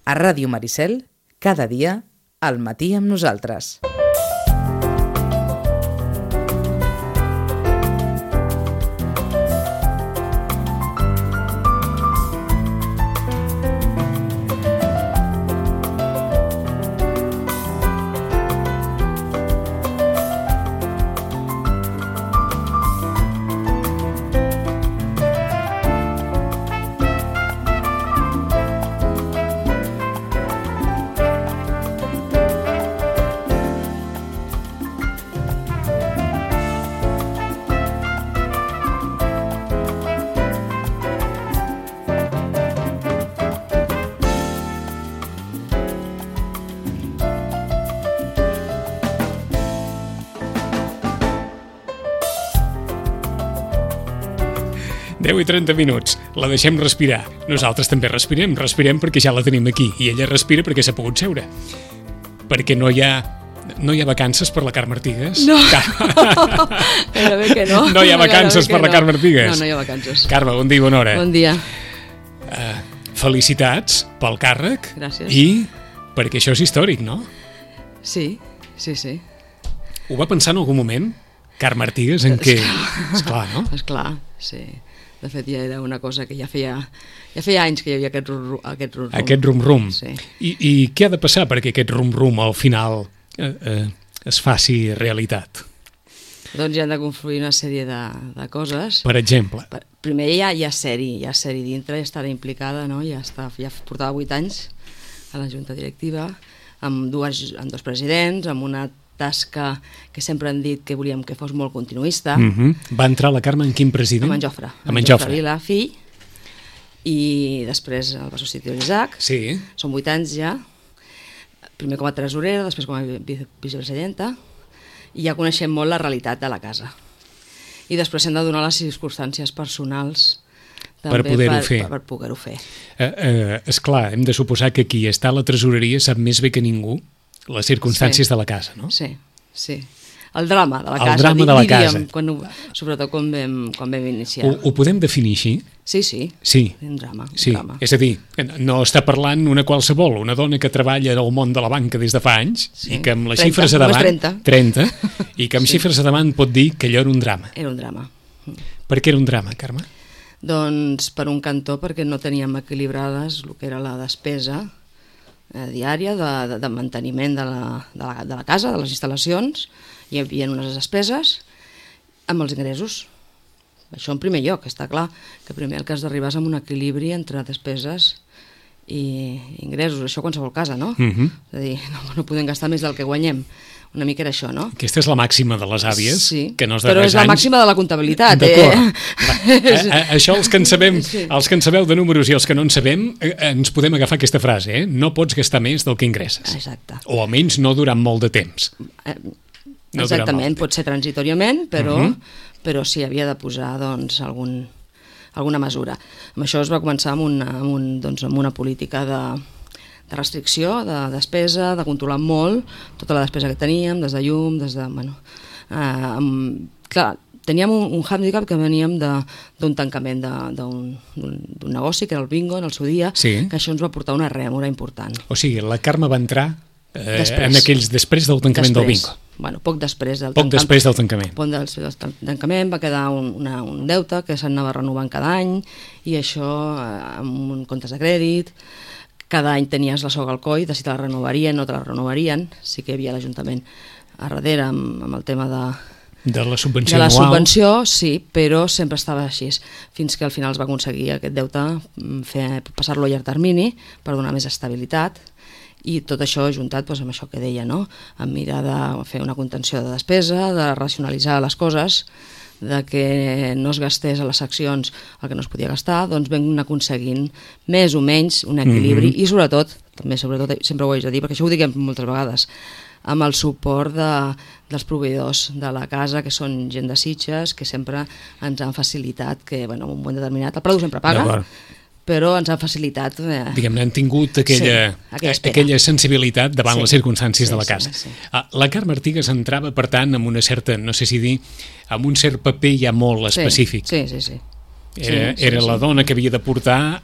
A Ràdio Maricel, cada dia, al matí amb nosaltres. I 30 minuts. La deixem respirar. Nosaltres també respirem perquè ja la tenim aquí. I ella respira perquè s'ha pogut seure. Perquè no hi ha vacances per la Carme Artigas? No, gairebé que no. No hi ha vacances per la Carme Artigas? No hi ha vacances. Carme, bon dia i bona hora. Bon dia. Felicitats pel càrrec. Gràcies. I perquè això és històric, no? Sí. Ho va pensar en algun moment, Carme Artigas, en què... Esclar, no? Esclar, sí. De fet, ja era una cosa que ja feia anys que hi havia aquest rum-rum. Aquest rum-rum. Sí. I què ha de passar perquè aquest rum-rum al final es faci realitat? Doncs hi han de confluir una sèrie de coses. Per exemple? Primer hi ha sèrie dintre, ja estarà implicada, no? Ja portava 8 anys a la Junta Directiva, amb dos presidents, amb una tasca que sempre han dit que volíem que fos molt continuista. Va entrar la Carme en quin president? Amb en Jofre. Amb en Jofre Vila, fill, i després el va substituir l'Isaac. Sí. Són 8 anys ja, primer com a tresorera, després com a vicepresidenta, i ja coneixem molt la realitat de la casa. I després hem de donar les circumstàncies personals també per poder-ho fer. Per poder-ho fer. Esclar, hem de suposar que qui està a la tresoreria sap més bé que ningú les circumstàncies de la casa, no? Sí. El drama de la casa. El drama de la casa. Sobretot quan vam iniciar. Ho podem definir així? Sí. Un drama. És a dir, no està parlant una qualsevol, una dona que treballa al món de la banca des de fa anys i que amb les xifres a davant... 30. I que amb xifres a davant pot dir que allò era un drama. Era un drama. Per què era un drama, Carme? Doncs per un cantó perquè no teníem equilibrades el que era la despesa diària de manteniment de la casa, de les instal·lacions. Hi havia unes despeses amb els ingressos. Això en primer lloc, està clar que primer el que has d'arribar és amb un equilibri entre despeses i ingressos, això a qualsevol casa, no? És a dir, no podem gastar més del que guanyem. Una mica era això, no? Aquesta és la màxima de les àvies, que no es però és la màxima de la comptabilitat. D'acord. Això els que en sabeu de números i els que no en sabem, ens podem agafar aquesta frase, no pots gastar més del que ingresses. Exacte. O almenys no durant molt de temps. Exactament, pot ser transitoriament, però sí, havia de posar doncs, alguna mesura. Amb això es va començar amb una política de restricció, de despesa, de controlar molt tota la despesa que teníem, des de llum, clar, teníem un handicap que veníem d'un tancament d'un negoci, que era el bingo en el seu dia, que això ens va portar una rèmora important. O sigui, la Carme va entrar després del tancament del bingo. Bueno, poc després del tancament. Poc després del tancament va quedar un deute que s'anava renovant cada any, i això amb comptes de crèdit. Cada any tenies la soga al coll de si te la renovarien o no te la renovarien. Sí que hi havia l'Ajuntament a darrere amb el tema de la subvenció anual. De la subvenció, sí, però sempre estava així. Fins que al final es va aconseguir aquest deute passar-lo a llarg termini per donar més estabilitat. I tot això ajuntat amb això que deia, no? Amb mirar de fer una contenció de despesa, de racionalitzar les coses, de que no es gastés a les seccions el que no es podia gastar, doncs vam anar aconseguint més o menys un equilibri i sobretot, sempre ho haig de dir, perquè això ho diguem moltes vegades, amb el suport dels proveïdors de la casa, que són gent de Sitges, que sempre ens han facilitat que, en un moment determinat, el preu sempre paga, però ens han facilitat... Diguem-ne, han tingut aquella sensibilitat davant les circumstàncies de la casa. La Carme Artigas entrava, per tant, amb una certa, no sé si dir, amb un cert paper ja molt específic. Sí. Era la dona que havia de portar,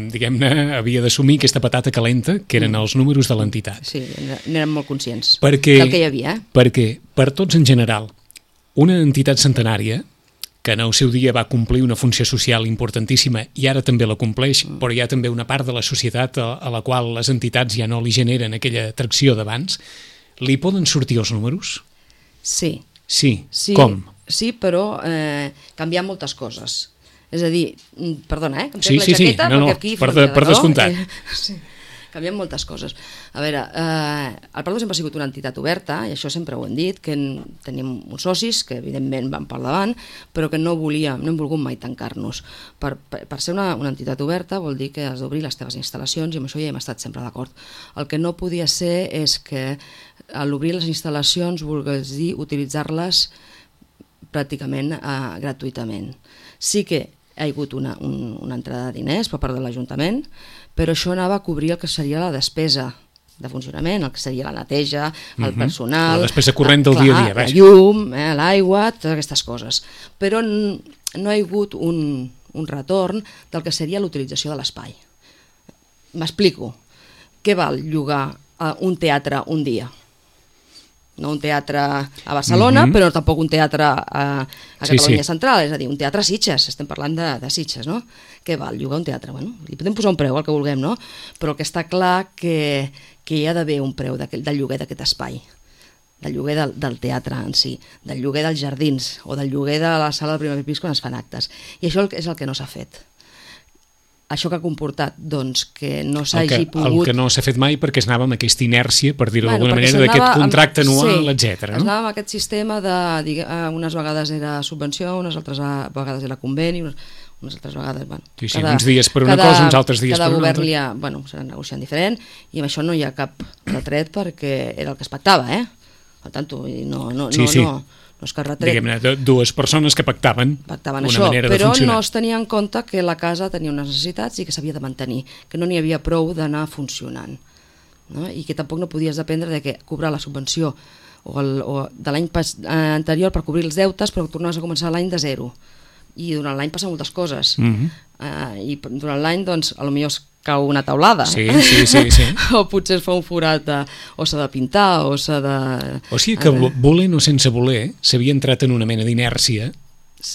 diguem-ne, havia d'assumir aquesta patata calenta, que eren els números de l'entitat. Sí, n'érem molt conscients perquè, del que hi havia. Perquè, per tots en general, una entitat centenària, que en el seu dia va complir una funció social importantíssima i ara també la compleix, però hi ha també una part de la societat a la qual les entitats ja no li generen aquella atracció d'abans, li poden sortir els números? Sí. Sí. Com? Sí, però canviar moltes coses. És a dir, perdona, que em sí, la jaqueta, no, perquè aquí... per descomptat. Sí, canviem moltes coses. A veure, el Prado sempre ha sigut una entitat oberta, i això sempre ho hem dit, que tenim uns socis que evidentment van per davant, però que no hem volgut mai tancar-nos. Per ser una entitat oberta vol dir que has d'obrir les teves instal·lacions, i amb això ja hem estat sempre d'acord. El que no podia ser és que a l'obrir les instal·lacions volgués dir utilitzar-les pràcticament gratuïtament. Sí que hi ha hagut una entrada de diners per part de l'Ajuntament, però això anava a cobrir el que seria la despesa de funcionament, el que seria la neteja, el personal... La despesa corrent del dia a dia, la llum, l'aigua, totes aquestes coses. Però no hi ha hagut un retorn del que seria l'utilització de l'espai. M'explico. Què val llogar un teatre un dia? No un teatre a Barcelona, però tampoc un teatre a Catalunya Central, és a dir, un teatre a Sitges, estem parlant de Sitges, no? Què val llogar un teatre? Bueno, li podem posar un preu, el que vulguem, no? Però el que està clar que hi ha d'haver un preu del lloguer d'aquest espai, del lloguer del teatre en si, del lloguer dels jardins o del lloguer de la sala del primer pis quan es fan actes. I això és el que no s'ha fet. Això que ha comportat, doncs, que no s'hagi pogut... El que no s'ha fet mai perquè es anava amb aquesta inèrcia, per dir-ho d'alguna manera, d'aquest contracte anual, etc. Es anava amb aquest sistema de... unes vegades era subvenció, unes altres vegades era conveni, unes altres vegades... uns dies per una cosa, uns altres dies per una altra. Cada govern s'ha negociant diferent, i amb això no hi ha cap retret perquè era el que es pactava, Per tant, no és que retret. Diguem-ne, dues persones que pactaven una això, manera de però funcionar. no es tenia en compte que la casa tenia unes necessitats i que s'havia de mantenir, que no n'hi havia prou d'anar funcionant, no? I que tampoc no podies dependre de que cobrar la subvenció o de l'any anterior per cobrir els deutes, però tornaves a començar l'any de zero. I durant l'any passen moltes coses. I durant l'any, doncs, potser es cau una taulada. Sí. O potser es fa un forat, o s'ha de pintar, o s'ha de... O sigui que, volent o sense voler, s'havia entrat en una mena d'inèrcia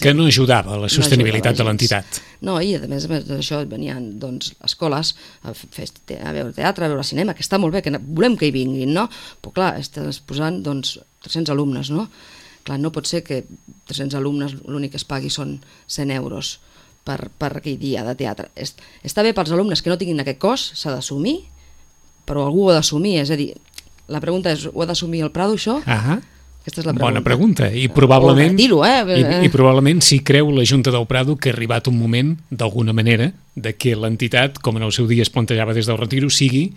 que no ajudava a la sostenibilitat de l'entitat. No, i a més d'això venien, doncs, escoles a veure teatre, a veure cinema, que està molt bé, que volem que hi vinguin, no? Però clar, estàs posant, doncs, 300 alumnes, no? Clar, no pot ser que 300 alumnes l'únic que es pagui són 100 euros per aquell dia de teatre. Està bé pels alumnes que no tinguin aquest cost, s'ha d'assumir, però algú ho ha d'assumir, és a dir, la pregunta és, ho ha d'assumir el Prado, això? Aquesta és la pregunta. Bona pregunta, i probablement, i probablement si creu la Junta del Prado que ha arribat un moment, d'alguna manera, de que l'entitat, com en el seu dia es plantejava des del retiro, sigui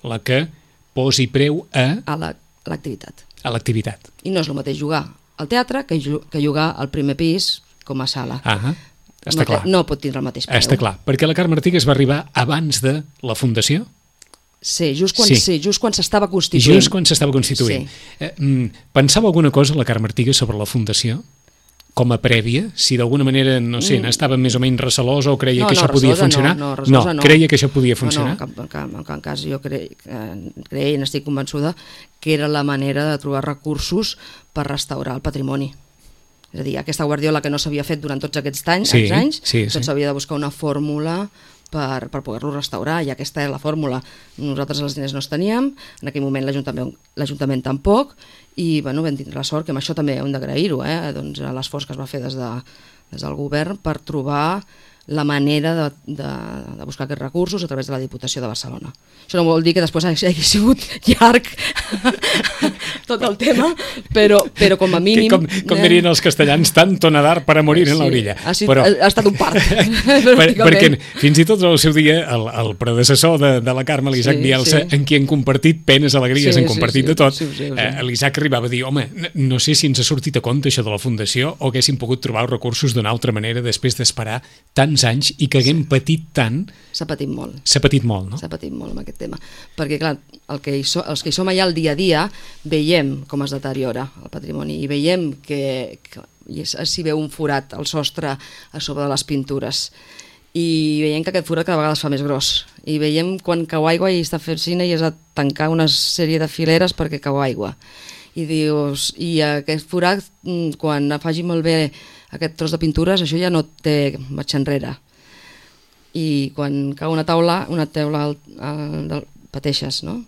la que posi preu a l'activitat. A l'activitat. I no és el mateix jugar al teatre que jugar al primer pis com a sala. Està clar. No pot tindre el mateix preu. Està clar, perquè la Carme Artigas va arribar abans de la fundació? Sí, just quan s'estava constituint. Just quan s'estava constituint. Pensava alguna cosa la Carme Artigas sobre la fundació? Com a prèvia? Si d'alguna manera, no sé, n'estava més o menys recelosa o creia que això podia funcionar? No, creia que això podia funcionar? No, en cap cas jo creia i n'estic convençuda que era la manera de trobar recursos per restaurar el patrimoni. És a dir, aquesta guardiola que no s'havia fet durant tots aquests anys, doncs s'havia de buscar una fórmula per poder-lo restaurar, i aquesta és la fórmula. Nosaltres els diners no els teníem, en aquell moment l'Ajuntament tampoc, i vam tindre la sort, que amb això també hem d'agrair-ho, doncs l'esforç que es va fer des del govern per trobar la manera de buscar aquests recursos a través de la Diputació de Barcelona. Això no vol dir que després hagi sigut llarg tot el tema, però com a mínim... Com dirien els castellans, tanto nadar para morir en la orilla. Ha estat un part. Perquè fins i tot al seu dia el predecessor de la Carme, l'Isaac Bielsa, en qui han compartit penes, alegries, han compartit de tot, l'Isaac arribava a dir, home, no sé si ens ha sortit a compte això de la Fundació o haguéssim pogut trobar els recursos d'una altra manera després d'esperar tants anys i que haguem patit tant. S'ha patit molt. S'ha patit molt, no? S'ha patit molt amb aquest tema. Perquè, clar, els que hi som allà el dia a dia veiem com es deteriora el patrimoni i veiem que i s'hi veu un forat al sostre a sobre de les pintures. I veiem que aquest forat cada vegada es fa més gros. I veiem quan cau aigua i està fent cine i has de tancar una sèrie de fileres perquè cau aigua. I dius, i aquest forat, quan faci malbé aquest tros de pintures, això ja no té marxa enrere. I quan cau una teula pateixes, no?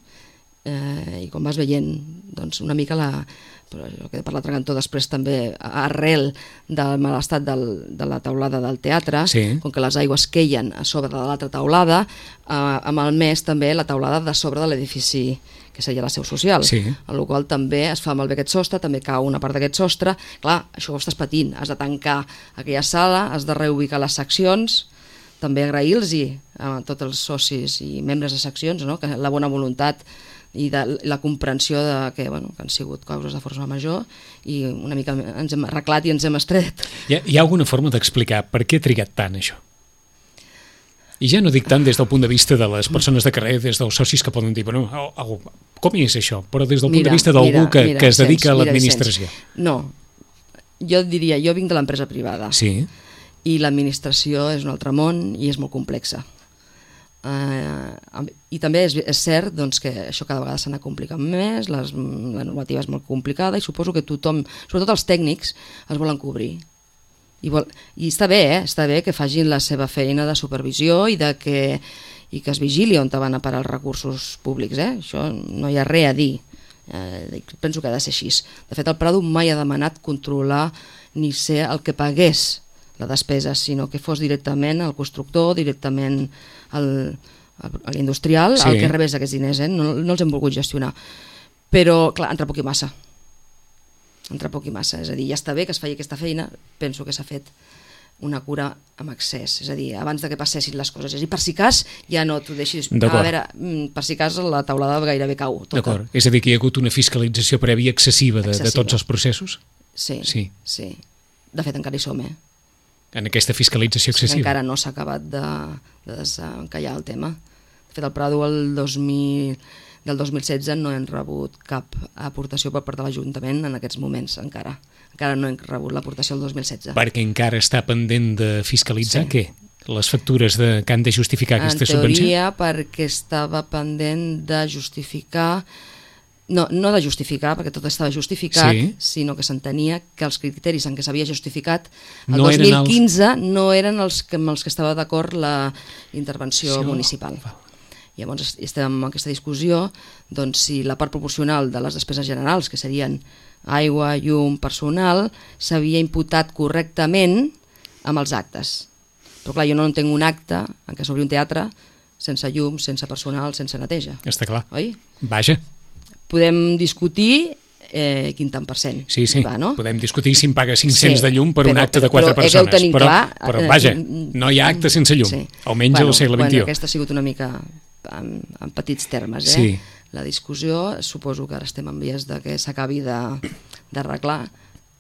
I quan vas veient, doncs una mica però el que he parlat a Cantó després també, arrel del mal estat de la teulada del teatre, com que les aigües queien a sobre de l'altra teulada, ha malmès també la teulada de sobre de l'edifici que seria la seu social, amb la qual també es fa malbé aquest sostre, també cau una part d'aquest sostre. Clar, això ho estàs patint, has de tancar aquella sala, has de reubicar les seccions, també agrair-los a tots els socis i membres de seccions, no? Que la bona voluntat i la comprensió que han sigut causes de força major i una mica ens hem arreglat i ens hem estret. Hi ha alguna forma d'explicar per què ha trigat tant això? I ja no dic tant des del punt de vista de les persones de carrer, des dels socis que poden dir, com és això? Però des del punt de vista d'algú que es dedica a l'administració. No, jo diria, jo vinc de l'empresa privada i l'administració és un altre món i és molt complexa. I també és cert que això cada vegada s'ha anat complicant més, la normativa és molt complicada i suposo que tothom, sobretot els tècnics, es volen cobrir i està bé que facin la seva feina de supervisió i que es vigili on van a parar els recursos públics, això no hi ha res a dir, penso que ha de ser així. De fet, el Prado mai ha demanat controlar ni ser el que pagués la despesa, sinó que fos directament el constructor, directament l'industrial, el que rebés aquests diners, no els hem volgut gestionar. Però, clar, entra poc i massa. És a dir, ja està bé que es faci aquesta feina, penso que s'ha fet una cura amb excés, és a dir, abans de que passessin les coses. És a dir, per si cas, ja no t'ho deixis... A veure, per si cas la taulada gairebé cau. D'acord, és a dir, que hi ha hagut una fiscalització prèvia excessiva de tots els processos? Sí. De fet, encara hi som, en aquesta fiscalització excessiva. Encara no s'ha acabat de desencallar el tema. De fet, el Prado del 2016 no hem rebut cap aportació per part de l'Ajuntament en aquests moments, encara. Encara no hem rebut l'aportació del 2016. Perquè encara està pendent de fiscalitzar què? Les factures que han de justificar aquesta subvenció? En teoria, perquè estava pendent de justificar... No de justificar, perquè tot estava justificat, sinó que s'entenia que els criteris en què s'havia justificat el 2015 no eren els que estava d'acord la intervenció municipal. Llavors estem en aquesta discussió si la part proporcional de les despeses generals, que serien aigua, llum, personal, s'havia imputat correctament amb els actes. Però clar, jo no entenc un acte en què s'obri un teatre sense llum, sense personal, sense neteja. Està clar. Oi? Vaja. Podem discutir quin tant %. Sí, podem discutir si em paga 500 de llum per un acte de 4 persones. Però vaja, no hi ha acte sense llum, almenys al segle XXI. Aquesta ha sigut una mica en petits termes. La discussió, suposo que ara estem en vies de que s'acabi d'arreglar,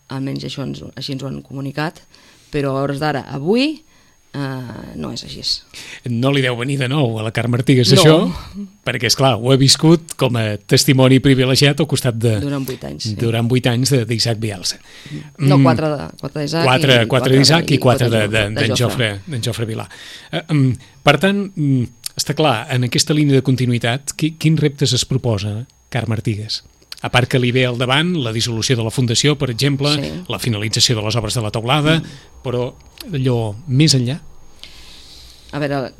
almenys així ens ho han comunicat, però a hores d'ara, avui, no és així. No li deu venir de nou a la Carme Artigas això, perquè esclar, ho he viscut com a testimoni privilegiat al costat de... Durant 8 anys. Durant 8 anys d'Isaac Bielsa. No, 4 d'Isaac. 4 d'Isaac i 4 d'en Jofre Vilà. Per tant, està clar, en aquesta línia de continuïtat, quins reptes es proposa Carme Artigas? A part que li ve al davant la dissolució de la Fundació, per exemple, la finalització de les obres de la teulada, però allò més enllà? A veure,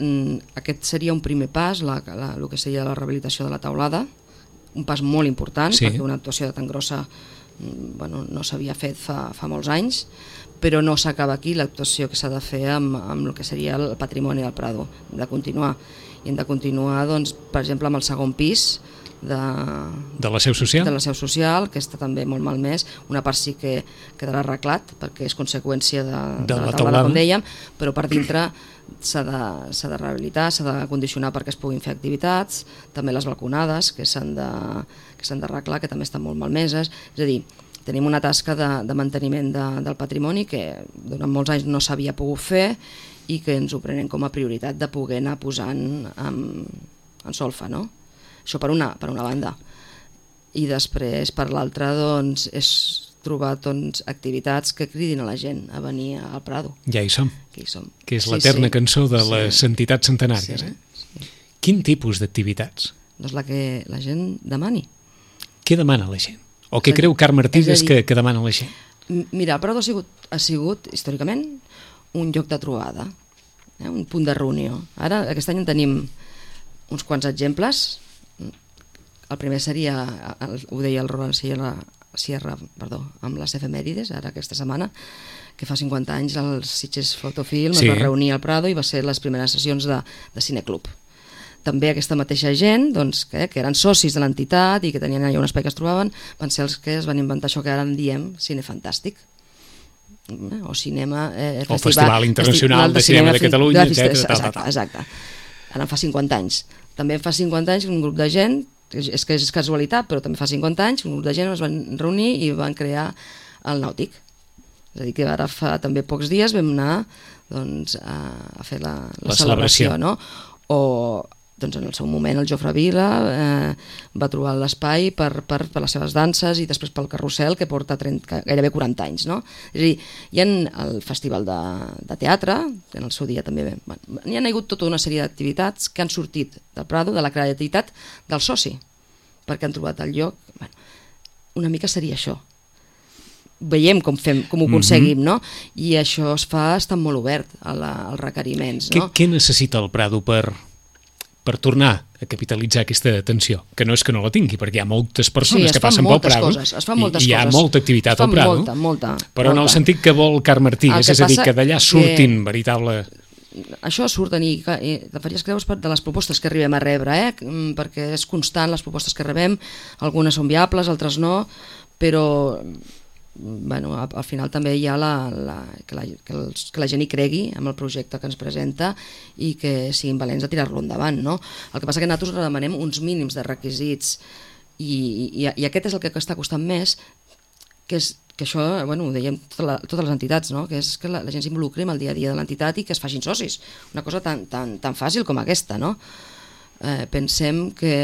aquest seria un primer pas, el que seria la rehabilitació de la teulada, un pas molt important, perquè una actuació tan grossa no s'havia fet fa molts anys, però no s'acaba aquí l'actuació que s'ha de fer amb el que seria el patrimoni del Prado, hem de continuar. I hem de continuar, per exemple, amb el segon pis, de la seu social, que està també molt malmès. Una part sí que quedarà arreglat perquè és conseqüència de la teulada, com dèiem, però per dintre s'ha de rehabilitar, s'ha de condicionar perquè es puguin fer activitats, també les balconades que s'han d'arreglar, que també estan molt malmeses. És a dir, tenim una tasca de manteniment del patrimoni que durant molts anys no s'havia pogut fer i que ens ho prenem com a prioritat de poder anar posant en solfa, no? Això per una banda. I després, per l'altra, és trobar doncs, activitats que cridin a la gent a venir al Prado. Ja hi som. Que hi som. Que és l'eterna cançó de les entitats centenàries. Sí. Quin tipus d'activitats? Doncs la que la gent demani. Què demana la gent? O què creu Carme Artigas que demana la gent? Mira, el Prado ha sigut històricament un lloc de trobada, un punt de reunió. Ara, aquest any en tenim uns quants exemples. El primer seria, ho deia el Roland Sierra, amb les efemèrides, ara aquesta setmana, que fa 50 anys el Sitges Fotofilm es va reunir al Prado i va ser les primeres sessions de cineclub. També aquesta mateixa gent, doncs, que eren socis de l'entitat i que tenien allà un espai que es trobaven, van ser els que es van inventar això que ara en diem Cine Fantàstic. O cinema... o Festival Internacional de Cinema de Catalunya, etc. Exacte. Ara en fa 50 anys. També en fa 50 anys un grup de gent, és que és casualitat, però també fa 50 anys, un grup de gent es van reunir i van crear el Nàutic. És a dir, que ara fa també pocs dies vam anar doncs, a fer la celebració, no? O doncs en el seu moment el Jofre Vila va trobar l'espai per les seves danses i després pel carrusel que porta gairebé 40 anys, no? És a dir, hi ha el festival de teatre, que en el seu dia també hi ha hagut tota una sèrie d'activitats que han sortit del Prado, de la creativitat del soci, perquè han trobat el lloc. Una mica seria això. Veiem com ho aconseguim, no? I això es fa estant molt obert als requeriments, no? Què necessita el Prado per tornar a capitalitzar aquesta atenció? Que no és que no la tingui, perquè hi ha moltes persones que passen pel Prado i hi ha molta activitat al Prado, però en el sentit que vol Carme Artigas, és a dir, que d'allà surtin veritable... Això surten i te faries creus de les propostes que arribem a rebre, perquè és constant les propostes que rebem, algunes són viables, altres no, però al final també hi ha que la gent hi cregui amb el projecte que ens presenta i que siguin valents de tirar-lo endavant, no? El que passa que nosaltres demanem uns mínims de requisits i aquest és el que està costant més, que això ho dèiem totes les entitats, no? Que és que la gent s'involucri en el dia a dia de l'entitat i que es facin socis, una cosa tan fàcil com aquesta, no? Pensem que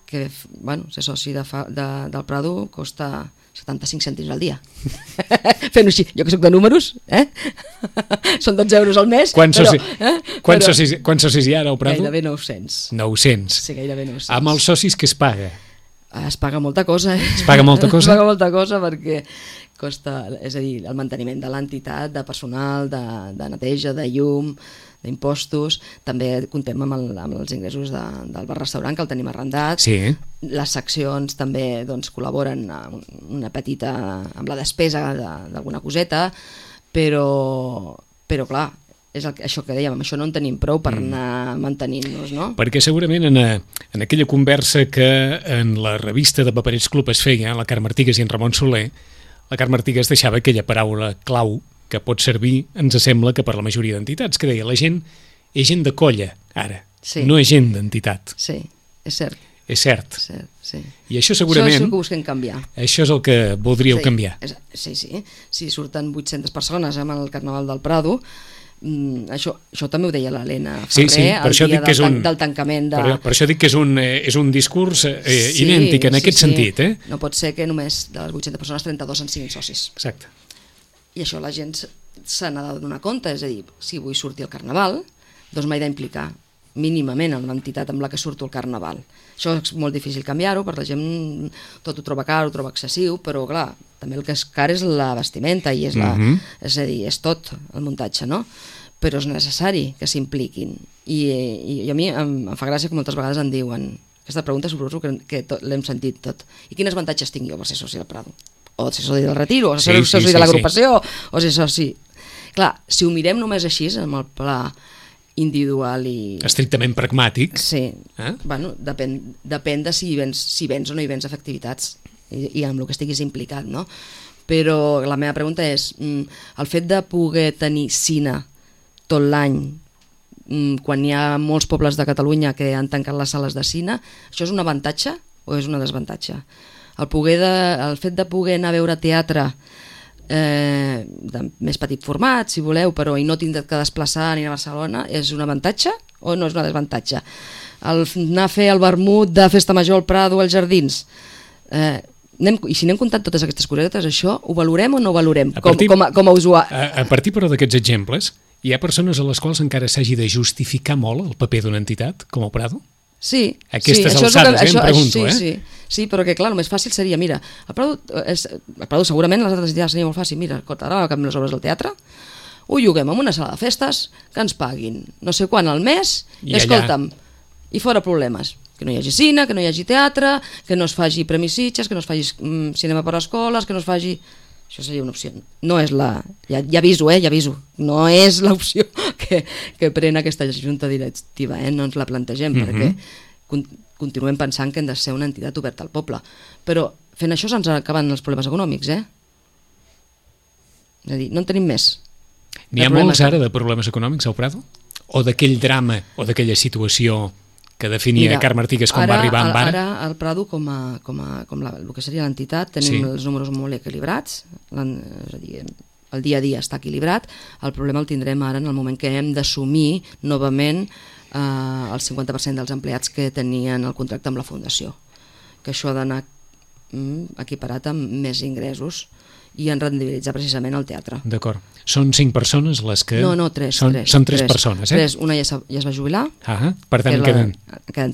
ser soci del Prado costa 75 cèntims al dia. Fent-ho així, jo que soc de números, són 12 euros al mes. Quants socis hi ha al Prado? Gairebé 900. 900. Sí, gairebé 900. Amb els socis què es paga? Es paga molta cosa. Es paga molta cosa? Es paga molta cosa perquè costa, és a dir, el manteniment de l'entitat, de personal, de neteja, de llum, d'impostos, també comptem amb els ingressos del bar-restaurant que el tenim arrendat. Sí. Les seccions també col·laboren una petita amb la despesa d'alguna coseta, però clar, és això que dèiem, amb això no en tenim prou per anar mantenint-nos, no? Perquè segurament en aquella conversa que en la revista de Paperets Club es feia, la Carme Artigas i en Ramon Soler, la Carme Artigas deixava aquella paraula clau que pot servir, ens sembla, que per la majoria d'entitats, que deia, la gent és gent de colla, ara, no és gent d'entitat. Sí, és cert. És cert. Sí. I això segurament... Això és el que busquem canviar. Això és el que voldríeu canviar. Sí. Si surten 800 persones amb el Carnaval del Prado, això també ho deia l'Helena Ferrer el dia del tancament de... Per això dic que és un discurs idèntic en aquest sentit. No pot ser que només de les 800 persones 32 en siguin socis. Exacte. I això la gent se n'ha de donar compte, és a dir, si vull sortir al Carnaval, doncs m'he d'implicar mínimament en l'entitat amb la que surto al Carnaval. Això és molt difícil canviar-ho, perquè la gent tot ho troba car, ho troba excessiu, però clar, també el que és car és la vestimenta i és és a dir, és tot el muntatge, no? Però és necessari que s'impliquin. I a mi em fa gràcia que moltes vegades em diuen, aquesta pregunta suposo que l'hem sentit tot, i quins avantatges tinc jo per ser soci del Prado? O ser soci del Retiro, o ser soci de l'agrupació, o ser soci... Clar, si ho mirem només així, amb el pla individual i... estrictament pragmàtic. Sí, depèn de si vens o no hi vens a fer activitats i amb el que estiguis implicat, no? Però la meva pregunta és, el fet de poder tenir cine tot l'any, quan hi ha molts pobles de Catalunya que han tancat les sales de cine, això és un avantatge o és una desavantatge? El fet de poder anar a veure teatre de més petit format, si voleu, però i no tindre que desplaçar ni a Barcelona, és un avantatge o no és un desavantatge? Anar a fer el vermut de Festa Major al Prado als Jardins, I si anem comptant totes aquestes cosetes, això ho valorem o no ho valorem partir, com a usuari? A partir, però, d'aquests exemples, hi ha persones a les quals encara s'hagi de justificar molt el paper d'una entitat, com el Prado? Sí. Aquestes alçades, em pregunto, Sí, però que clar, el més fàcil seria, mira, el Prado segurament les altres entitats seria molt fàcil, mira, ara acabem les obres del teatre, ho lloguem en una sala de festes, que ens paguin no sé quan al mes, i escolta'm, i fora problemes. Que no hi hagi cine, que no hi hagi teatre, que no es faci Premis Sitges, que no es faci cinema per a escoles, que no es faci... Això seria una opció. No és la... Ja aviso, ja aviso. No és l'opció que pren aquesta junta directiva, no ens la plantegem, perquè continuem pensant que hem de ser una entitat oberta al poble. Però fent això se'ns acaben els problemes econòmics, És a dir, no en tenim més. N'hi ha molts ara de problemes econòmics al Prado? O d'aquell drama, o d'aquella situació que definia Carme Artigas quan va arribar amb ara? Ara al Prado, com el que seria l'entitat, tenim els números molt equilibrats, és a dir, el dia a dia està equilibrat. El problema el tindrem ara en el moment que hem d'assumir novament el 50% dels empleats que tenien el contracte amb la Fundació, que això ha d'anar equiparat amb més ingressos i en rendibilitzar precisament el teatre. D'acord. Són 5 persones les que... No, 3. Són 3 persones, Una ja es va jubilar. Per tant, queden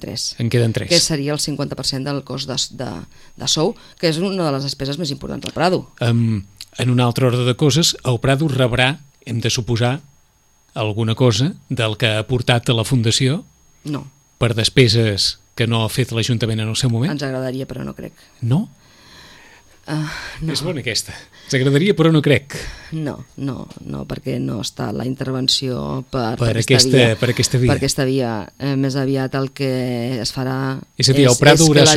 3. En queden 3. Que seria el 50% del cost de sou, que és una de les despeses més importants del Prado. En un altre ordre de coses, el Prado rebrà, hem de suposar, alguna cosa del que ha aportat a la Fundació? No. Per despeses que no ha fet l'Ajuntament en el seu moment? Ens agradaria, però no crec. No? No. És bona aquesta. Ens agradaria, però no crec. No, perquè no està la intervenció per aquesta via. Més aviat el que es farà... És a dir, el Prado haurà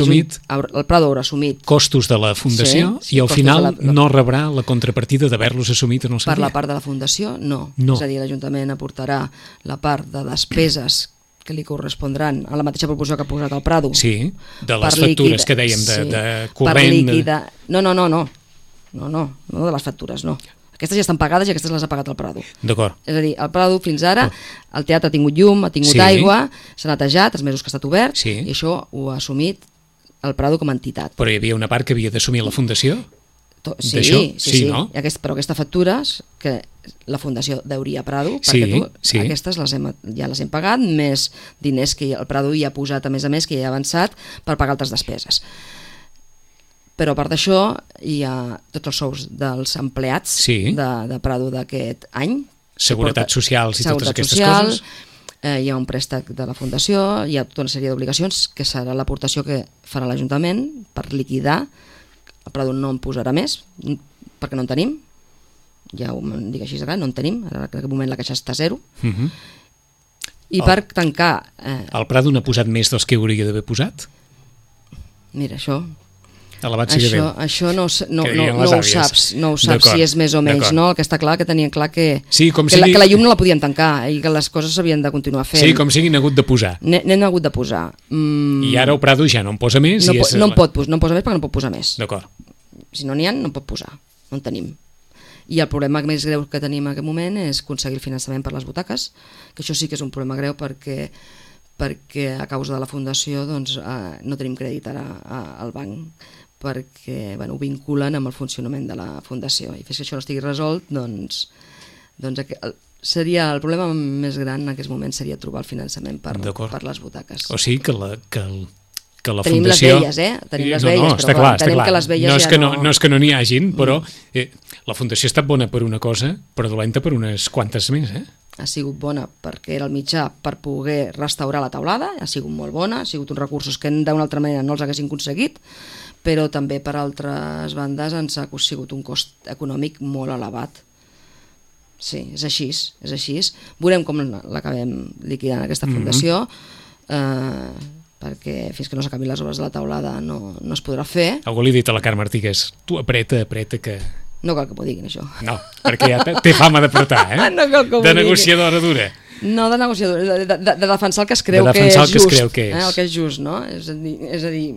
assumit costos de la Fundació i al final no rebrà la contrapartida d'haver-los assumit en el seu dia. Per la part de la Fundació, no. És a dir, l'Ajuntament aportarà la part de despeses que li correspondran a la mateixa proporció que ha posat el Prado. Sí, de les factures que dèiem de corrent... No, de les factures, no. Aquestes ja estan pagades i aquestes les ha pagat el Prado. D'acord. És a dir, el Prado fins ara, el teatre ha tingut llum, ha tingut aigua, s'ha netejat, els mesos que ha estat obert, i això ho ha assumit el Prado com a entitat. Però hi havia una part que havia d'assumir la Fundació? Sí, no? Però aquestes factures que la Fundació deuria a Prado, perquè aquestes ja les hem pagat, més diners que el Prado hi ha posat, a més, que hi ha avançat per pagar altres despeses. Però a part d'això hi ha tots els sous dels empleats de Prado d'aquest any. Seguretat socials i totes aquestes coses. Hi ha un préstec de la Fundació, hi ha tota una sèrie d'obligacions que serà l'aportació que farà l'Ajuntament per liquidar. El Prado no en posarà més, perquè no en tenim, ja ho dic així, no en tenim, ara en aquest moment la caixa està a 0. I per tancar... El Prado n'ha posat més dels que hauria d'haver posat? Mira, això no ho saps si és més o menys, no? El que està clar que tenien clar que la llum no la podíem tancar i que les coses s'havien de continuar fent. Sí, com sigui, n'ha hagut de posar. N'hem hagut de posar. I ara el Prado ja no en posa més? No en posa més perquè no pot posar més. D'acord. Si no n'hi ha, no en pot posar. No en tenim. I el problema més greu que tenim en aquest moment és aconseguir el finançament per les butaques, que això sí que és un problema greu perquè a causa de la Fundació no tenim crèdit ara al banc, perquè ho vinculen amb el funcionament de la Fundació, i fins que això no estigui resolt, doncs seria el problema més gran en aquest moment seria trobar el finançament per les butaques. O sigui que la tenim Fundació... les velles, tenim les velles, està clar. Que les velles no és que no n'hi hagin, però la Fundació ha estat bona per una cosa, però dolenta per unes quantes més, Ha sigut bona perquè era el mitjà per poder restaurar la teulada, ha sigut molt bona, ha sigut uns recursos que d'una altra manera no els haguessin aconseguit, però també per altres bandes ens ha sigut un cost econòmic molt elevat. Sí, és així. Veurem com l'acabem liquidant aquesta Fundació, perquè fins que no s'acabin les obres de la teulada no es podrà fer. Algú li ha dit a la Carme Artigas, tu apreta, que... No cal que m'ho diguin, això. No, perquè ja té fama d'apretar, No cal que m'ho diguin. De negociadora dura. No, de negociadora, de defensar el que es creu que és just. El que és just, no? És a dir...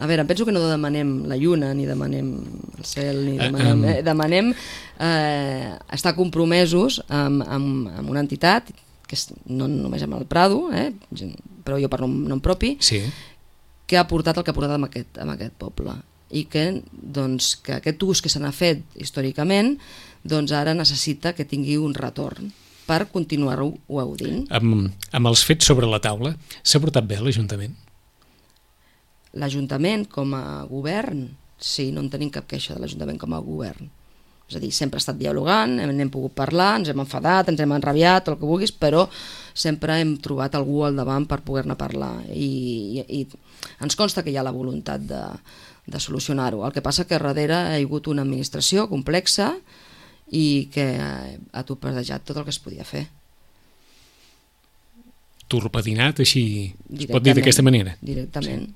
A veure, em penso que no demanem la lluna, ni demanem el cel, ni demanem estar compromesos amb una entitat, que no només amb el Prado, però jo per nom propi, què ha portat el que ha portat amb aquest poble, i que, doncs, que aquest ús que se n'ha fet històricament, doncs ara necessita que tingui un retorn per continuar-ho gaudint. Amb els fets sobre la taula, s'ha portat bé l'Ajuntament? L'Ajuntament com a govern, sí, no en tenim cap queixa de l'Ajuntament com a govern. És a dir, sempre ha estat dialogant, n'hem pogut parlar, ens hem enfadat, ens hem enrabiat, el que vulguis, però sempre hem trobat algú al davant per poder-ne parlar. I ens consta que hi ha la voluntat de solucionar-ho. El que passa que darrere hi ha hagut una administració complexa i que ha torpedejat tot el que es podia fer. Torpedinat, així es pot dir d'aquesta manera? Directament.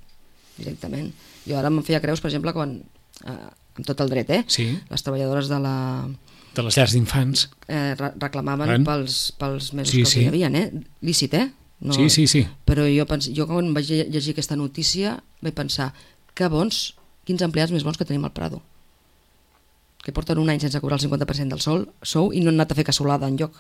Jo ara me'n feia creus, per exemple, quan, amb tot el dret, sí. Les treballadores de les llars d'infants reclamaven pels mesos que hi havia, lícit, no, sí. Però jo quan vaig llegir aquesta notícia vaig pensar, que bons, quins empleats més bons que tenim al Prado, que porten un any sense cobrar el 50% del sou i no han anat a fer cassolada enlloc,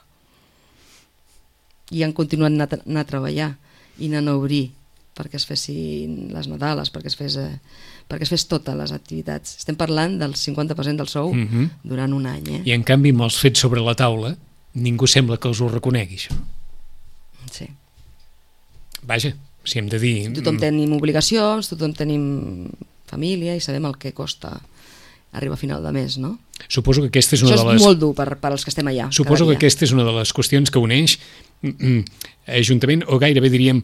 i han continuat anar a treballar i anant a obrir perquè es fessin les Nadales, perquè es fes totes les activitats. Estem parlant del 50% del sou durant un any. I en canvi, amb els fets sobre la taula, ningú sembla que els ho reconegui, això. Sí. Vaja, si hem de dir... Tothom tenim obligacions, tothom tenim família i sabem el que costa arribar a final de mes, no? Suposo que aquesta és una Això és molt dur per als que estem allà. Suposo que aquesta és una de les qüestions que uneix Ajuntament, o gairebé diríem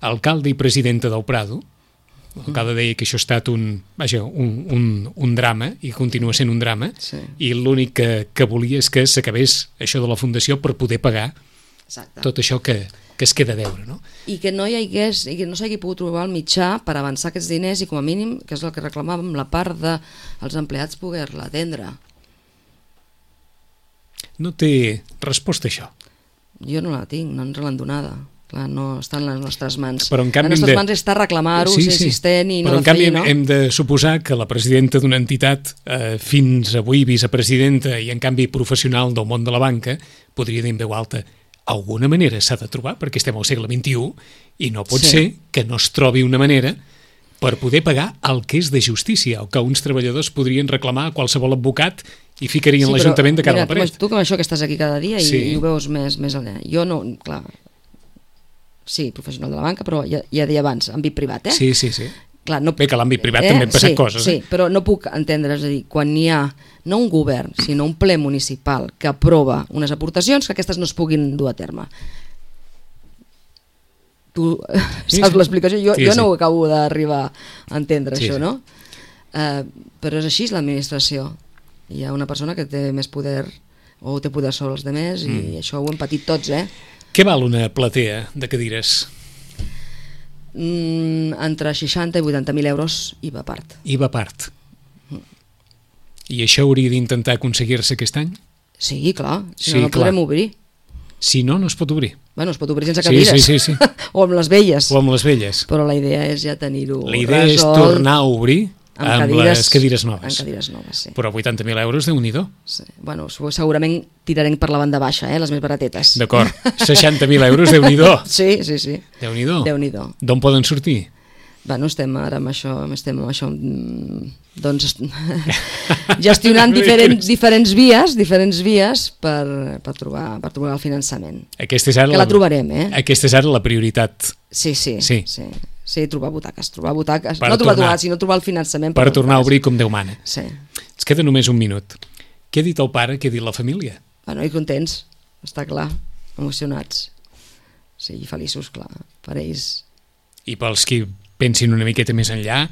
alcalde i presidenta del Prado. L'alcalde deia que això ha estat un drama i continua sent un drama, sí. I l'únic que volia és que s'acabés això de la fundació per poder pagar tot això que es queda a deure, no? I que no s'hagi pogut trobar el mitjà per avançar aquests diners i com a mínim, que és el que reclamàvem, la part dels empleats poder-la atendre. No té resposta això? Jo no la tinc, no ens l'han donada. Clar, no està en les nostres mans. Però en canvi les nostres mans està reclamar-ho, ser insistent i no de fer, no? Però en canvi hem de suposar que la presidenta d'una entitat, fins avui vicepresidenta i en canvi professional del món de la banca, podria dir en veu alta, alguna manera s'ha de trobar, perquè estem al segle XXI i no pot ser que no es trobi una manera per poder pagar el que és de justícia, o que uns treballadors podrien reclamar a qualsevol advocat i ficarien l'Ajuntament de cara a la paret. Tu com això que estàs aquí cada dia i ho veus més allà. Jo no, clar, sí, professional de la banca, però ja deia abans, àmbit privat, Sí. Clar, bé, que a l'àmbit privat també han passat coses. Sí, però no puc entendre, és a dir, quan hi ha no un govern, sinó un ple municipal que aprova unes aportacions, que aquestes no es puguin dur a terme. Tu saps l'explicació? Jo no ho acabo d'arribar a entendre, això, no? Però és així l'administració. Hi ha una persona que té més poder o té poder sobre els demés i això ho hem patit tots, Què val una platea de cadires? Entre 60 i 80.000 euros IVA a part. IVA a part. I això hauria d'intentar aconseguir-se aquest any? Sí, clar, si no podrem obrir. Si no, no es pot obrir. Bueno, es pot obrir sense cadires. Sí. O amb les velles. Però la idea és ja tenir-ho resolt. La idea és tornar a obrir amb les cadires noves. Amb cadires noves, sí. Però 80.000 euros, Déu-n'hi-do. Sí. Bueno, segurament tirarem per la banda baixa, les més baratetes. D'acord, 60.000 euros, Déu-n'hi-do. Sí. Déu-n'hi-do. D'on poden sortir? Bueno, estem ara amb això, doncs, gestionant diferents vies per trobar el finançament. Que la trobarem, Aquesta és ara la prioritat. Sí, trobar butaques. No trobar, sinó trobar el finançament. Per tornar a obrir com Déu mana. Sí. Ens queda només un minut. Què ha dit el pare, què ha dit la família? Bueno, i contents, està clar, emocionats. Sí, feliços, clar, per ells. I pels qui pensin una miqueta més enllà,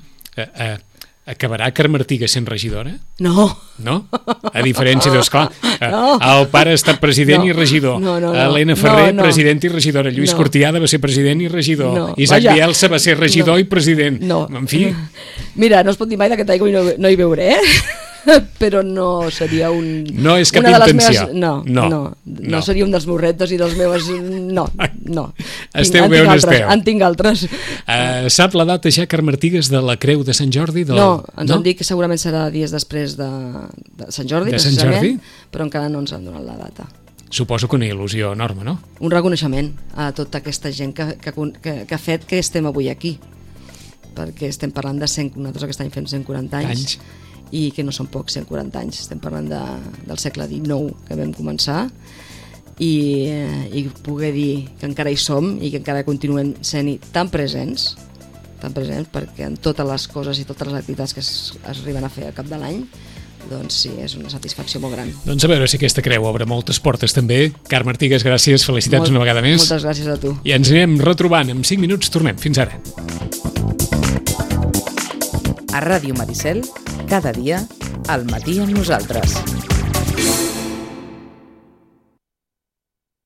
acabarà Carmartiga sent regidora? No. No? A diferència d'esclar, el pare ha estat president i regidor. Helena Ferrer, president i regidora. Lluís Cortiada va ser president i regidor. Isaac Bielsa va ser regidor i president. En fi. Mira, no es pot dir mai d'aquest aigua i no hi veuré, però no seria un... No és cap intenció. No seria un dels meus reptes i dels meus... No. Esteu bé on esteu. En tinc altres. Sap la data ja, Carmartigues, de la Creu de Sant Jordi? No, ens han dit que segurament serà dies després de Sant Jordi, precisament, però encara no ens han donat la data. Suposo que una il·lusió enorme, no? Un reconeixement a tota aquesta gent que ha fet que estem avui aquí. perquè estem parlant de 100, nosaltres aquest any fem 140 anys. I que no són pocs, 140 anys, estem parlant del segle XIX que vam començar, i poder dir que encara hi som i que encara continuem sent-hi tan presents, perquè en totes les coses i totes les activitats que es arriben a fer al cap de l'any, doncs sí, és una satisfacció molt gran. Doncs a veure si aquesta creu obre moltes portes també. Carme Artigas, gràcies, felicitats una vegada més. Moltes gràcies a tu. I ens anirem retrobant en 5 minuts, tornem. Fins ara. A Ràdio Maricel, cada dia, al matí amb nosaltres.